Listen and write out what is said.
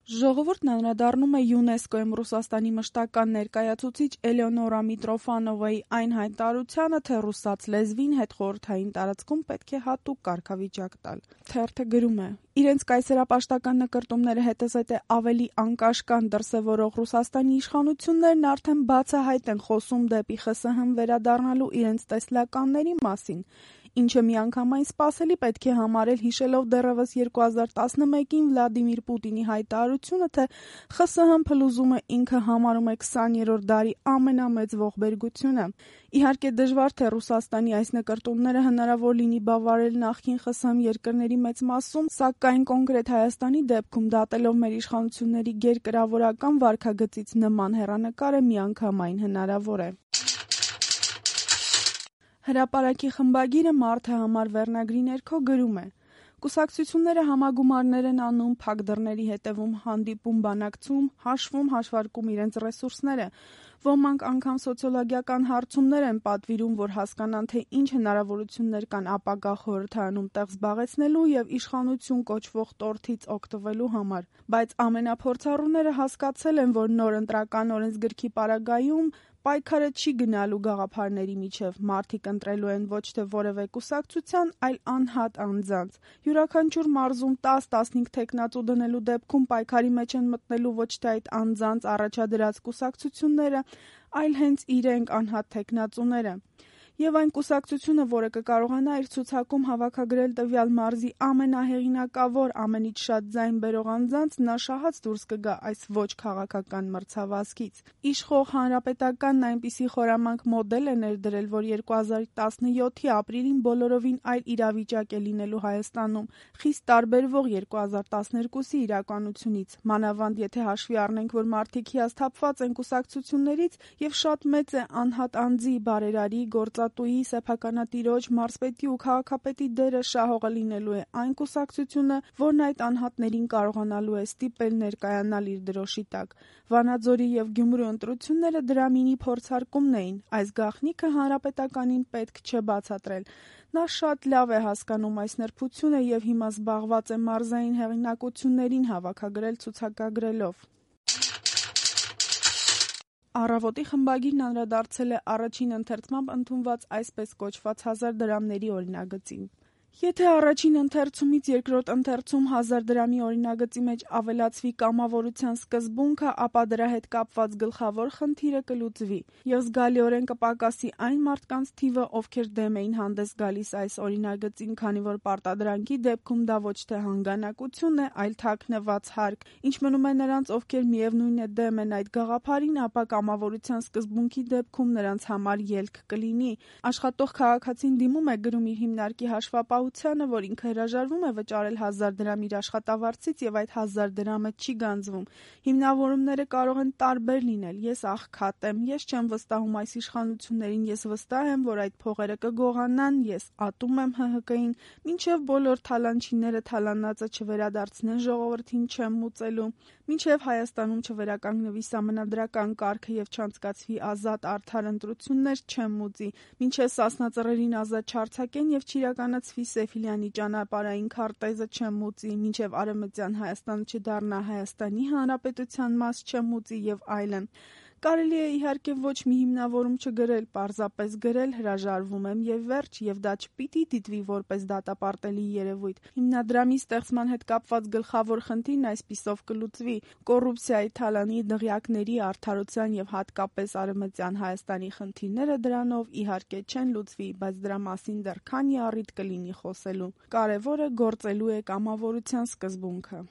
Ժողովուրդն անդրադառնում է ՅՈՒՆԵՍԿՕ-ում Ռուսաստանի մշտական ներկայացուցիչ Էլեոնորա Միտրոֆանովայի այն հայտարարությանը, թե ռուսաց լեզվին հետխորհրդային տարածքում պետք է հատուկ կարգավիճակ տալ։ Թերթը գրում է. Իրենց կայսերապաշտական նկրտումները հետզհետե ավելի անկաշկանդ դրսևորող Ռուսաստանի իշխանություններն արդեն բացահայտ են խոսում դեպի ԽՍՀՄ վերադառնալու իրենց տեսլականների մասին, ինչը միանգամայն սպասելի պետք է համարել հիշելով դեռևս 2011-ին Վլադիմիր Պուտինի հայտարարությունը, թե ԽՍՀՄ փլուզումը ինքը համարում է 20-րդ դարի ամենամեծ ողբերգությունը։ Իհարկե դժվար թե Ռուսաստանի այս նկրտումները հնարավոր լինի բավարարել նախկին ԽՍՀՄ երկրների մեծ մասում, սակայն կոնկրետ Հայաստանի դեպքում դատելով մեր իշխանությունների գերկրավորական վարքագծից նման հեռանկարը միանգամայն հնարավոր է։ Հրապարակի խմբագիրը «Մարդը» համար վերնագրի ներքո գրում է. «Կուսակցությունները համագումարներ են անում, փակ դռների հետևում հանդիպում բանակցում, հաշվում-հաշվարկում իրենց ռեսուրսները։ Ոմանք անգամ սոցիոլոգիական հարցումներ են պատվիրում, որ հասկանան, թե ինչ հնարավորություններ կան ապագա խորհրդարանում տեղ զբաղեցնելու և իշխանություն կոչվող տորթից օգտվելու համար։ Բայց ամենափորձառուները հասկացել են, որ նոր ընտրական օրենսգրքի պարագայում պայքարը չի գնալու գաղափարների միջև, մարդիկ ընտրելու են ոչ թե որևէ կուսակցության, այլ անհատ անձանց։ Յուրաքանչյուր մարզում 10-15 թեկնածու դնելու դեպքում պայքարի մեջ են մտնելու ոչ թե այդ անձանց առաջադրած կուսակցությունները, այլ հենց իրենք անհատ թեկնածուները։ Եվ այն կուսակցությունը, որը կկարողանա իր ցուցակում հավաքագրել տվյալ մարզի ամենահեղինակավոր, ամենից շատ ձայն բերող անձանց, նա շահած դուրս կգա այս ոչ քաղաքական մրցավազքից։ Իշխող Հանրապետականն այնպիսի խորամանկ մոդել է ներդրել, որ 2017-ի ապրիլին բոլորովին այլ իրավիճակ է լինելու Հայաստանում, խիստ տարբերվող 2012-ի իրականությունից, մանավանդ եթե հաշվի առնենք, որ մարդիկ հիասթափված են կուսակցություններից և շատ մեծ է անհատ անձի, բարերարի, գործատուի, սեփականատիրոջ, մարզպետի ու քաղաքապետի դերը շահողը լինելու է այն կուսակցությունը, որն այդ անհատներին կարողանալու է ստիպել ներկայանալ իր դրոշի տակ։ Վանաձորի և Գյումրու ընտրությունները դրա մինի փորձարկումն էին, այս գաղտնիքը Հանրապետականին պետք չէ բացատրել։ Նա շատ լավ է հասկանում այս նրբությունը և հիմա զբաղված է մարզային հեղինակություններին հավաքագրել ցուցակագրելով»։ Առավոտի խմբագիրն անդրադարձել է առաջին ընթերցմամբ ընդունված այսպես կոչված 1000 դրամների օրինագծին. Եթե առաջին ընթերցումից երկրորդ ընթերցում 1000 դրամի օրինագծի մեջ ավելացվի կամավորության սկզբունքը, ապա դրա հետ կապված գլխավոր խնդիրը կլուծվի, և զգալիորեն կպակասի այն մարդկանց թիվը, ովքեր դեմ էին հանդես գալիս այս օրինագծին, քանի որ պարտադրանքի դեպքում դա ոչ թե հանգանակություն է, այլ թաքնված հարկ, ինչ մնում է նրանց, ովքեր միևնույն է դեմ են այդ գաղափարին, ապա կամավորության սկզբունքի դեպքում նրանց համար ելք կլինի։ Աշխատող քաղաքացին դիմում է գրում իր հիմնարկի հաշվապահությանը, որ ինքը հրաժարվում է վճարել 1000 դրամ իր աշխատավարձից և այդ 1000 դրամը չի գանձվում։ Հիմնավորումները կարող են տարբեր լինել։ Ես աղքատ եմ, ես չեմ վստահում այս իշխանություններին, ես վստահ եմ, որ այդ փողերը կգողանան, ես ատում եմ ՀՀԿ-ին, մինչև բոլոր թալանչիները թալանածը չվերադարձնեն ժողովրդին չեմ մուծելու, մինչև Հայաստանում չվերականգնվի սահմանադրական կարգը և չանցկացվի ազատ արդար ընտրություններ չեմ մուծի, մինչև Սասնա Ծռերին ազատ չարձակեն և չիրականացվի Սեֆիլյանի ճանապարհային քարտեզը չեմ մուծի, մինչև Արևմտյան Հայաստանը չդառնա Հայաստանի Հանրապետության մաս չեմ մուծի և այլն։ Կարելի է իհարկե ոչ մի հիմնավորում չգրել, պարզապես գրել հրաժարվում եմ և վերջ, և դա չպիտի դիտվի որպես դատապարտելի երևույթ։ Հիմնադրամի ստեղծման հետ կապված գլխավոր խնդիրն այսպիսով կլուծվի։ Կոռուպցիայի, թալանի, դղյակների, արդարության և հատկապես Արևմտյան Հայաստանի խնդիրները դրանով իհարկե չեն լուծվի, բայց դրա մասին դեռ քանի առիթ կլինի խոսելու։ Կարևորը գործելու է կամավորության սկզբունքը։